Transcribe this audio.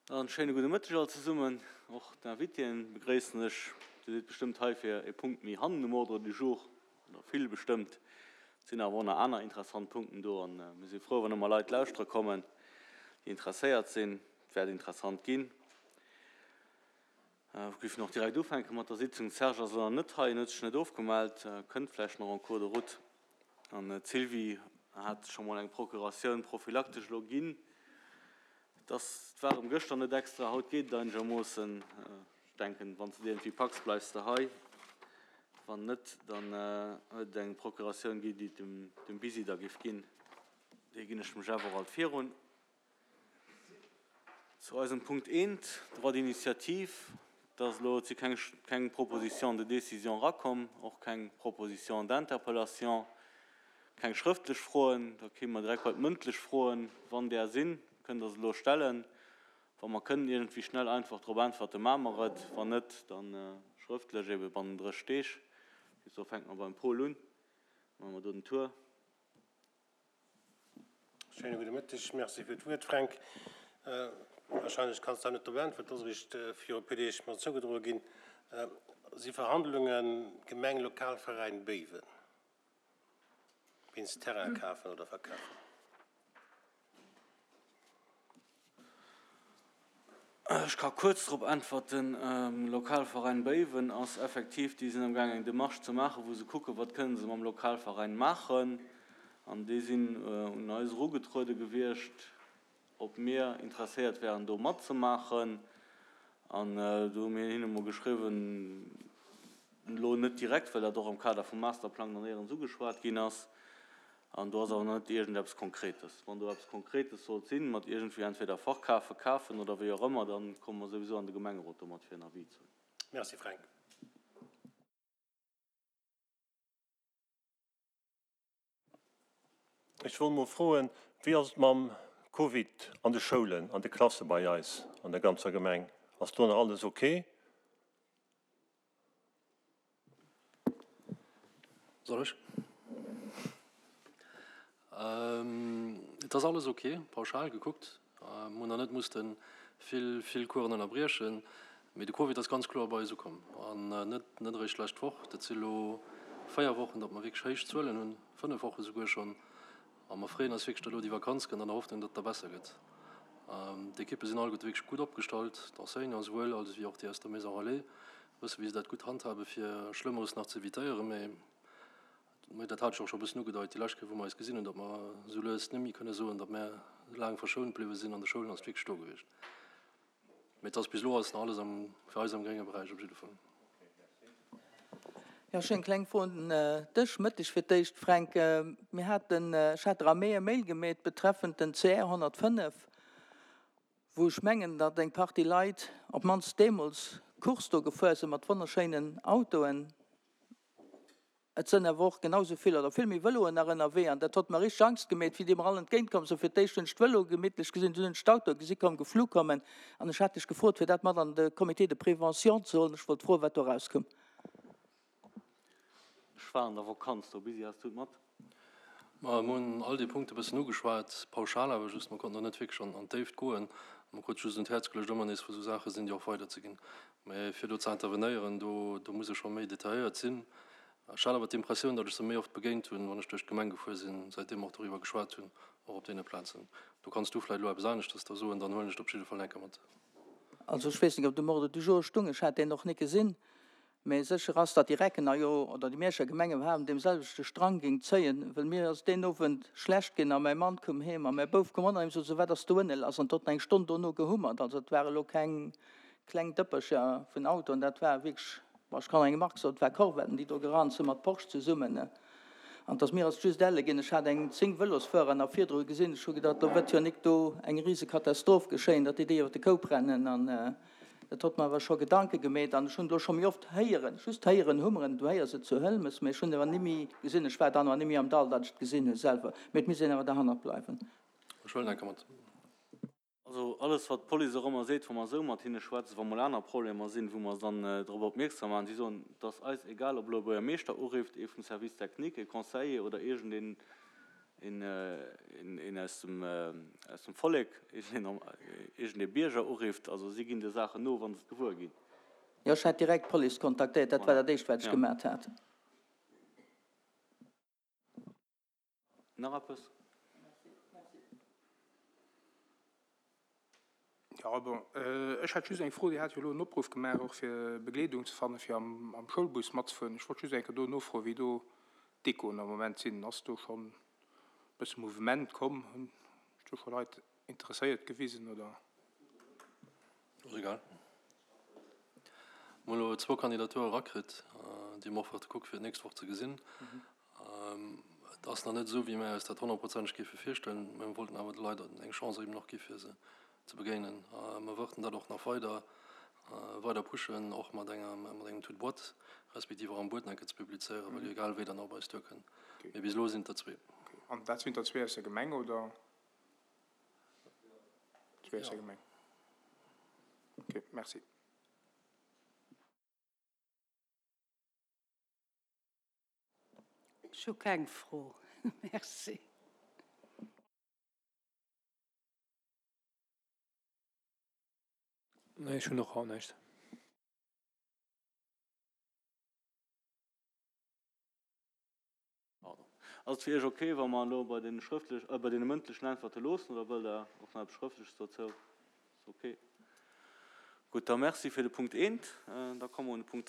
En schéine gudde Mëtteg all zesummen. Och d'Invitéen begréissen ech. Dir sidd bestëmmt hei fir e Punkt méi hannen um Ordre du jour, oder vill bestëmmt. Et sinn awer och nach aner interessant Punkten do an mir si frou, wann ëmmer Leit lauschtere kommen, déi interesséiert sinn. Et wäert interessant ginn. Ech géif och direkt ufänke mat der Sitzung. De Serge ass elo nach net hei, en huet sech net ofgemellt, kënnt vläicht nach en cours de route. An d'Sylvie hat scho mol eng Procuratioun prophylaktesch elo ginn. Et ass, et war erëm gëschter net extra, haut geet et einegermoossen. Ech denken, wann s de et iergendwéi packs, bleifs de hei. Wann net, dann huet et eng Procuratioun gi, déi et dem Bisi da géif ginn. Déi ginn ech dem Jeff och alt virun. Zu eisem Punkt eent, Droit d'initiative, Et ass elo, et si keng, keng Proposition de décision erakomm, och keng Proposition d'interpellation, keng schrëftlech Froen. Da kéime mer direkt bei d'mëndlech Froen. Wann där sinn, kënnt Der se elo stellen. Wa mer kënnen iergendwéi schnell einfach drop äntwerten, maache mer et. Wann net, da schrëftlech ebe bannen 30 Deeg. Bis do fänke mer beim Paul un, maache mer do den Tour. Schéine gudde Mëtteg. Merci fir d'Wuert, Fränk. Wahrscheinlech kanns de net drop äntweren, et ass eréischt viru e puer Deeg mer zougedroe ginn. Si Verhandlunge Gemeng Lokalveräin Béiwen wéinst Terrain kafen oder verkafen? Ech ka kuerz drop äntwerten. Lokalveräin Béiwen ass effektiv, déi sinn amgaang eng Demarche ze maachen, wou se kucken, wat kënnen se mam Lokalveräin maachen. An déi sinn un eis erugetruede gewiescht, ob mir interesséiert wären do matzemaachen. An do hu mir hinne mol geschriwwen, elo net direkt, well dat och am Kader vum Masterplang dann néierens ugeschwat ginn ass, An do ass awer nach net iergendeppes Konkretes. Wann do eppes Konkretes sollt sinn, mat iergendwéi entweder verkafen, kafen oder wéi och ëmmer, da komme mer souwisou an de Gemengerot domat fir en Avis ze hunn. Merci Fränk. Ech wollt mol froen, wéi ass et mam Covid an de Schoulen, an de Klasse bei eis an der ganzer Gemeng? Ass do nach alles ok? Soll ech? Et ass alles ok, pauschal gekuckt. Mir hunn nach net musste vill, vill Coursen ënnerbriechen. Mee de Covid ass ganz kloer bei eis ukomm. An net, net eréischt d'lescht Woch. Dat si lo 4 Wochen, datt mer wierklech héich Zuelen hunn, 5 Woche souguer schonn. A mer freeën eis wierklech, datt elo déi Vakanz kënnt, an der Hoffnung, datt et da besser gëtt. D'Ekippe sinn alleguerte wierklech gutt opgestallt, d'Enseignants esouwuel als ewéi och déi aus der Maison Relais wësse wéi se dat gutt handhabe fir Schlëmmeres nach ze evitéieren. Mee dat hat ech och scho e bëssen ugedeit déi lescht Kéier wou mer eis gesinn hunn, datt mer esou lues net méi kënne soen, datt mär laang verschount bliwwe sinn. An de Schoulen ass et wierklech do gewiescht. Mee et ass bis elo ass nach alles am, fir eis am grénge Beräich op jidde Fall. Jo, ech hunn eng kleng Fro un dech. Mëtteg fir d'éischt, Fränk. Mir haten, ech hat der am Mee e Mail gemeet betreffend den CR 105, wou ech mengen, datt eng Partie Leit, op d'mannst deemools, Course do gefuer sinn mat wonnerschéinen Autoen. Et sënn awer och genau sou vill oder vill méi Vëloen nach ënnerwee an dat hott mer richteg Angst gemeet, wéi déi mer all entgéint komm sinn. Fir d'éischt hunn ech d'Vëloe gemittlech gesinn, dunn hunn ech d'Autoe gesi komm, geflu kommen an ech hat dech gefrot, fir dat mat an de Comité de prévention ze huelen. Ech wollt froen, wat do erauskoum. Ech war an der Vakanz do. Bisi, has du et mat? Ma mir hunn all déi Punkte e bëssen ugeschwat, pauschal awer just. Mer konnten do net wierklech an d'Déift goen. Mer krute just un d'Häerz geluecht, ëmmer nees, wou esou Saache sinn, déi och weiderzeginn. Mä fir do ze intervenéieren, do, do muss e scho méi detailléiert sinn. Ech hat awer d'Impressioun, datt ech se méi oft begéint hunn, wann ech duerch d'Gemeng gefuer sinn, säitdeem mer och doriwwer geschwat hunn, och op deene Plazen. Do kanns du vläicht elo eppes aneschters da soen, dann huelen ech et op jidde Fall enker mat. Also ech weess net, ob de Ordre du jour stung, ech hat deen och net gesinn. Mä sécher ass, datt déi Reckener jo, oder déi Mierscher Gemeng iwwerhaapt, un deem selwechte Strang géing zéien, well mir ass deen Owend schlecht ginn a mäi Mann koum heem a mäi Bouf koum och nach heem, sot se, wat ass do ënne lass? An d'hott eng Stonn dono gehummert. Also et war elo keng kleng Dëppercher vun Autoen, dat war wierklech, bon, ech kann eng Mark soen, et war Corvetten, déi do gerannt sinn, mat Porsche zesummen. An et ass mir ass just elle ginn, ech hat eng 10 Vëlosfuerer nach virdru gesinn, ech hu gedacht, do wëtt jo nik do eng Risekatastroph geschéien, datt déi déi iwwer de Koup rennen. An Dat hott mer awer scho Gedanke gemeet an ech hunn et elo scho méi oft héieren, just héieren hummeren, du héiers et zu Hëlmes, mee ech hunn et awer nimmi gesinn, ech war dann awer nimmi am Dall, datt ech et gesinn hu selwer, mee et misst een awer derhannert bleiwen. Ech huelen enker mat. Also alles wat d'Police och ëmmer seet, wa mer esou mat hinne schwätzen, wa mol aner Problemer sinn, wou mer se dann drop opmierksam maachen, si soen, et ass eis egal, ob elo e Buergermeeschter urifft, ee vum Service technique, e Conseiller oder iergendeen. Een aus dem Vollek, iergendee Bierger urifft. Also si ginn de Saachen no, wa se et gewuer ginn. Jo, ech hat direkt d'Police kontaktéiert. Dat war dat Éischt, wat ech gemat hat. Nach eppes? Jo, bon, ech hätt just eng Fro. Dir hat jo elo en Opruff gemaach, och fir Begleedung ze fannen, fir am Schoulbus matzefueren. Ech wollt just eng Kéier do nofroen, wéi do d'Echoen am Moment sinn. Ass do schonn e bësse Mouvement komm? Hunn sech do scho Leit interesséiert gewisen, oder? Ass egal. Mir hunn elo zwou Kandidature erakritt, déi mer och wäerte kucke fir d'nächst Woch ze gesinn. Et ass nach net esou, wéi mir eis dat honnertprozenteg géife virstellen, mä mir wollten awer de Leit eng Chance eben och gi fir se ze begéinen. Mir wërten dat och nach weider weider pushen, och mat enger mat engem Tout boîte, respektiv och am Buet nach eng Kéier ze publizéieren, well jo egal wéi dann och op eis duerkënn. Mee bis elo sinn et der zwee. An dat sinn der zwee aus der Gemeng, oder? Zwee aus der Gemeng. Ok, merci. Ech hu keng Fro. Merci. Nee, ech hunn och haut näischt. Pardon. Ass et fir Iech ok, wa mer elo bei deene schrëftlech, bei deene mëndlechen Äntwerte loossen, oder wëllt Der och nach eppes Schrëftleches dozou? Ass ok. Gutt, da merci fir de Punkt eent. Da komme mer un de Punkt.